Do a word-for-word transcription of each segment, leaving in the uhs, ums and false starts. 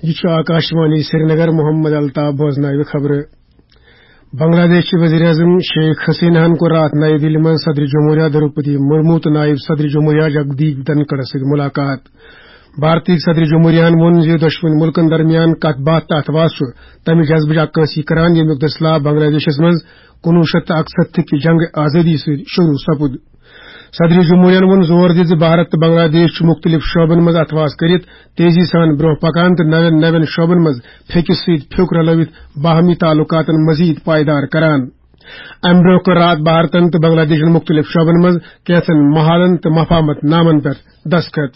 یہِ چھُ آکاشوانی سرینگر۔ محمد الطاف بوزناوِ خبرٕ۔ بنگلہ دیش چہِ وزیر اعظم شیخ حسینہ ہن کوٚر راتھ نئی دِلہِ منٛز صدر جمہوریہ دروپدی مرمو تہٕ نائب صدر جمہوریہ جگدیپ دھنکھڑس سۭتۍ ملاقات۔ بھارتی صدر جمہوریہ ہن ووٚن زِ دۄشوٕنی مُلکن درمیان کتھ باتھ تہٕ اتھواس چھُ تمہِ جذبٕچ عکٲسی کران، ییٚمیُک دٔسلہٕ آو بنگلہ دیشس منٛز کُنوُہ شیٚتھ تہٕ اکسَتتھ کہِ جنگ آزادی سۭتۍ شروع سپُد۔ صدر جمہوریہ ہن ووٚن زور دِتھ زِ بھارت تہٕ بنگلہ دیش چھِ مُختٔلِف شعبن منٛز اتھواس کٔرِتھ تیزی سان برٛونٛہہ پکان تہٕ نوٮ۪ن نوٮ۪ن شعبن منٛز پھیٚکِس سۭتۍ پھیوٚک رلٲوِتھ باہمی تعلقاتن مزید پائیدار کران۔ امہِ برٛونٛہہ کٔر راتھ بھارتن تہٕ بنگلہ دیشن مُختٔلِف شعبن منٛز کینٛژن معاہدن تہٕ مفاہمت نامن پٮ۪ٹھ دستخط۔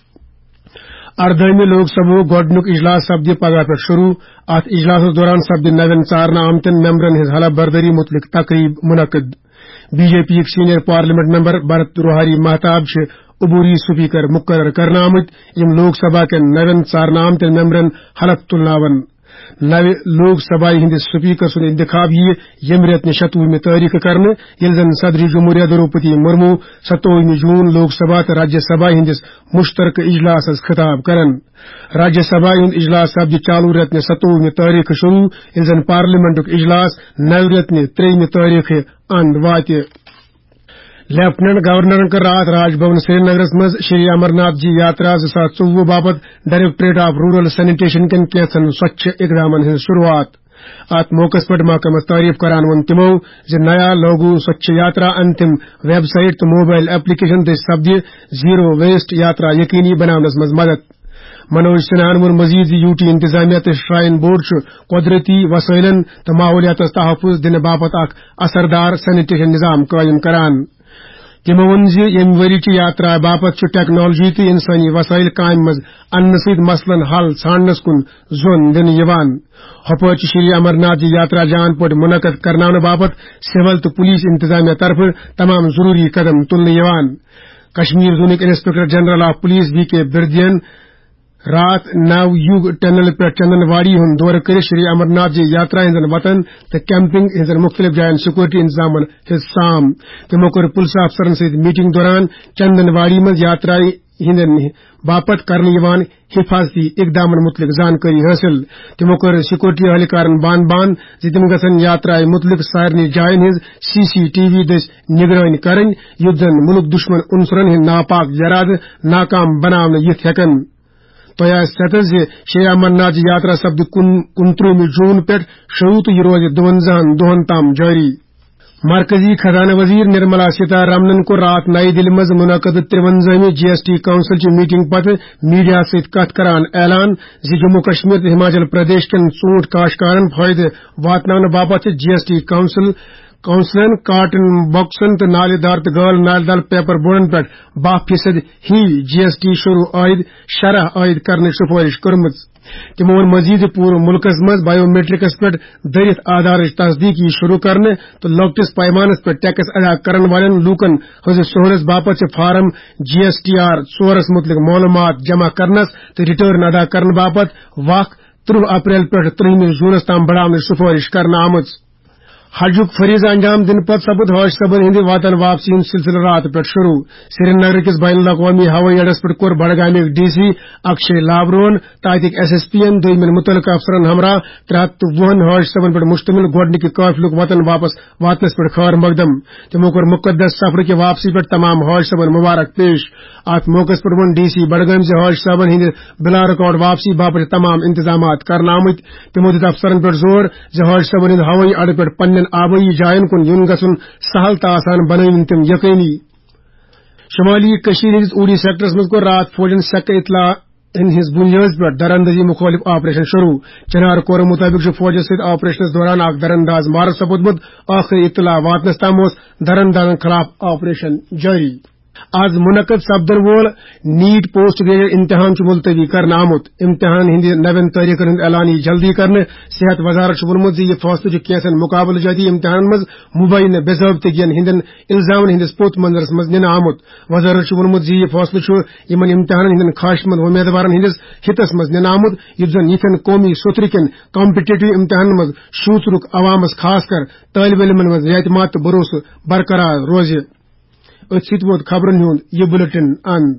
اردٲہمہِ لوک سبھا ہُک گۄڈٕنیُک اجلاس سپدِ پگاہ پٮ۪ٹھ شروع۔ اتھ اجلاسس دوران سپدِ نوٮ۪ن ژارنہٕ آمتٮ۪ن ممبرن ہٕنٛز حلف بردٲری مُتعلق تقریب منعقد۔ بی جے پی یِکۍ senior parliament member Bhartruhari Mahtab چھِ عبوری سپیکر مقرر کرنہٕ آمٕتۍ، یِم لوک سبھا کٮ۪ن نوٮ۪ن ژارنہٕ آمتٮ۪ن ممبرن حلف تُلناون۔ نوِ لوک سبھایہ ہٕنٛدِ سپیکر سُنٛد انتخاب یِیہِ ییٚمہِ رٮ۪تہٕ نہِ شتوُہمہِ تٲریخہٕ کرنہٕ، ییٚلہِ زن صدر جمہوریہ دروپدی مرمو ستووُہمہِ جون لوک سبھا تہٕ راجیہ سبھا ہٕنٛدِس مشترکہٕ اجلاسس خطاب کرن۔ راجیہ سبھا ہُنٛد اجلاس سپدِ چالو رٮ۪تہٕ نہِ ستووُہمہِ تٲریخہٕ شروع، ییٚلہِ زن پارلیمنٹُک اجلاس نوِ رٮ۪تہٕ نہِ ترٛیٚیِمہِ تٲریخہٕ اند واتہِ۔ لیفٹیننٹ گورنرن کٔر راتھ راج بھون سرینگرس منٛز شری امرناتھ جی یاترا زٕ ساس ژوٚوُہ باپتھ ڈائریکٹوریٹ آف رورل سینیٹیشن کٮ۪ن کینٛژن سۄچھ اقدامن ہٕنٛز شروعات۔ اتھ موقعس پٮ۪ٹھ محکمس تعریف کران ووٚن تِمو زِ نیا لوگو سۄچھ یاترا انتم ویب سائٹ تہٕ موبائل ایپلیکیشن دٔسۍ سپدِ زیرو ویسٹ یاترا یقینی بناونس منٛز مدد۔ منوج سنہاہن ووٚن مزید زِ یو ٹی انتظامیہ تہٕ شرائن بورڈ چھُ قدرتی وسائلن تہٕ ماحولیاتس تحفظ دِنہٕ باپتھ اکھ اثردار سینیٹیشن نظام قائم کران۔ تِمو ووٚن زِ ییٚمہِ ؤری چہِ یاترا باپتھ چھُ ٹیکنالوجی تہٕ انسٲنی وسائل کامہِ منٛز اننہٕ سۭتۍ مسلن حل ژھانڈنس کُن زون دِنہٕ یِوان۔ ہۄپٲرۍ چھِ شری امرناتھ جی یاترا جان پٲٹھۍ منعقد کرناونہٕ باپتھ سول تہٕ پولیس انتظامیہ طرفہٕ تمام ضروری قدم تُلنہٕ یِوان۔ کشمیر زونٕکۍ inspector general of police B K بردین راتھ نو یوگ ٹنل پٮ۪ٹھ چندن واڑی ہُنٛد دورٕ کٔرِتھ شری امرناتھ جی یاترا ہٕنٛزن وتن تہٕ کیمپنگ ہٕنٛزن مُختٔلِف جاین سیکورٹی انتظامن ہٕنٛز سام۔ تِمو کٔر پُلسہٕ افسرن سۭتۍ میٹنگ دوران چندن واڑی منٛز یاترا ہٕنٛدٮ۪ن باپتھ کرنہٕ یِوان حفاظتی اقدامن مُتعلق زانکٲری حٲصِل۔ تِمو کٔر سیکورٹی اہلکارن بان بان زِ تِم گژھن یاترایہِ مُتعلق سارنٕے جاین ہٕنٛز سی سی ٹی وی دٔسۍ نگرٲنی کرٕنۍ، یُتھ زن مُلک دُشمن عنصرن ہٕنٛدۍ ناپاک ارادٕ ناکام بناونہٕ یِتھ ہٮ۪کن۔ تۄہہِ آسہِ ستھ زِ شری امرناتھ یاترا سپدِ کُن-، کُنترٛہمہِ جون پٮ۪ٹھ شروع تہٕ یہِ روزِ دُوَنزاہَن دۄہَن تام جٲری۔ مرکزی خزانہٕ وزیر نرملا سیتارامنن کوٚر راتھ نئی دِلہِ منٛز منعقد ترٛوَنزاہمہِ جی ایس ٹی کونسل چہِ میٹنگ پتہٕ میڈیا سۭتۍ کتھ کران اعلان زِ جموں کشمیر تہٕ ہماچل پردیش کٮ۪ن ژوٗنٹھۍ کاشتکارن فٲیدٕ واتناونہٕ باپتھ چھِ جی ایس ٹی کونسل کونسلن کاٹن باکسن تہٕ نالہِ دار تہٕ غٲر نالہِ دار پیپر بورڈن پٮ۪ٹھ باہ فیصد ہی جی ایس ٹی شروع عائد شرح عائد کرنٕچ سفارش کٔرمٕژ۔ تِمو ووٚن مزید زِ پوٗرٕ مُلکس منٛز بایو میٹرکس پٮ۪ٹھ دٔرِتھ آدھارٕچ تصدیق یی شروع کرنہٕ تہٕ لۄکٹِس پیمانس پٮ۪ٹھ ٹیکس ادا کرن والٮ۪ن لوٗکن ہٕنٛزِ سہوٗلژ باپتھ چھِ فارم جی ایس ٹی آر ژورس مُتعلق معلوٗمات جمع کرنس تہٕ ریٹرن ادا کرنہٕ باپتھ وق ترٛہ اپریل پٮ۪ٹھ ترٛہمہِ جونس تام بڑاونٕچ سفارش کرنہٕ آمٕژ۔ حجُک فریضہٕ انجام دِنہٕ پتہٕ سپُد حٲج صٲبن ہٕنٛدِ وطن واپسی ہُنٛد سلسلہٕ راتہٕ پٮ۪ٹھ شروع۔ سری نگر کِس بین الاقوامی ہوٲیی اڈس پٮ۪ٹھ کوٚر بڈگامِکۍ ڈی سی اکشے لابرون تہٕ اتِکۍ ایس ایس پی ین دوٚیمٮ۪ن مُتعلقہٕ افسرن ہمراہ ترٛےٚ ہتھ تہٕ وُہن حٲج صٲبن پٮ۪ٹھ مشتمل گۄڈٕنِکہِ قٲفلُک وطن واپس واتنس پٮ۪ٹھ خٲر مقدم۔ تِمو کوٚر مقدس سفرٕکہِ واپسی پٮ۪ٹھ تمام حٲج صٲبن مبارک پیش۔ اتھ موقعس پٮ۪ٹھ ووٚن ڈی سی بڈگٲمۍ زِ حٲج صٲبن ہٕنٛدِ بلا رکاوٹ واپسی باپتھ چھِ تمام انتظامات کرنہٕ آمٕتۍ۔ تِمو دیُت افسرن پٮ۪ٹھ زور زِ حٲج صٲبن ہٕنٛدِ ہوٲیی اڈٕ پٮ۪ٹھ پننٮ۪ن آبٲیی جاین کُن یُن گژھُن سہل تہٕ آسان بنٲوِن تِم یقینی۔ شمالی کشمیر ہٕنٛدِس اوٗڑی سیکٹرس منٛز کوٚر راتھ فوجن سکہٕ اطلاع ہٕنٛدِ بُنیٲدِ پٮ۪ٹھ دراندازی مُخٲلِف آپریشن شروع۔ چنار کورٕ مُطٲبِق چھُ فوجس سۭتۍ آپریشنس دوران اکھ درانداز مارٕ سپُدمُت۔ ٲخری اطلاع واتنس تام اوس دراندازن خلاف آپریشن جٲری۔ آز منعقد سپدن وول نیٹ پوسٹ گریجویٹ امتحان چھُ ملتوی کرنہٕ آمُت۔ امتحان ہٕنٛدِ نوٮ۪ن تٲریخن ہُنٛد اعلان یِیہِ جلدی کرنہٕ۔ صحت وزارت چھُ ووٚنمُت زِ یہِ فٲصلہٕ چھُ کینٛژن مقابلہٕ جٲتی امتحانن منٛز مبینہ بے ضٲبطگین ہٕنٛدٮ۪ن الزامن ہٕنٛدِس پوٚت منظرس منٛز نِنہٕ آمُت۔ وزارت چھُ ووٚنمُت زِ یہِ فٲصلہٕ چھُ یِمن امتحانن ہٕنٛدٮ۪ن خواہشمند وۄمیدوارن ہٕنٛدِس ہِتس منٛز نِنہٕ آمُت، یُتھ زن یِتھٮ۪ن قومی سوٚترٕ کٮ۪ن کمپیٹیٹو امتحانن منٛز شوٗژرُک عوامس، خاص کر طٲلبہِ علمن منٛز اعتماد تہٕ بھروسہٕ برقرار روزِ۔ أتھۍ سۭتۍ ووت خبرن ہُنٛد یہِ بلیٹن اند۔